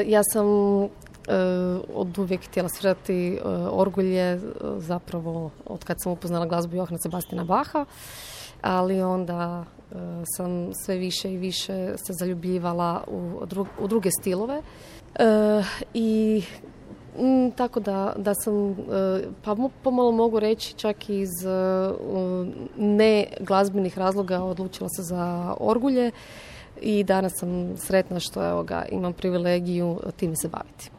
Ja sam od uvijek htjela svirati orgulje, zapravo od kad sam upoznala glazbu Johana Sebastiana Bacha, ali onda sam sve više i više se zaljubljivala u druge stilove. I tako da sam, pa pomalo mogu reći čak iz ne glazbenih razloga odlučila se za orgulje i danas sam sretna što imam privilegiju time se baviti.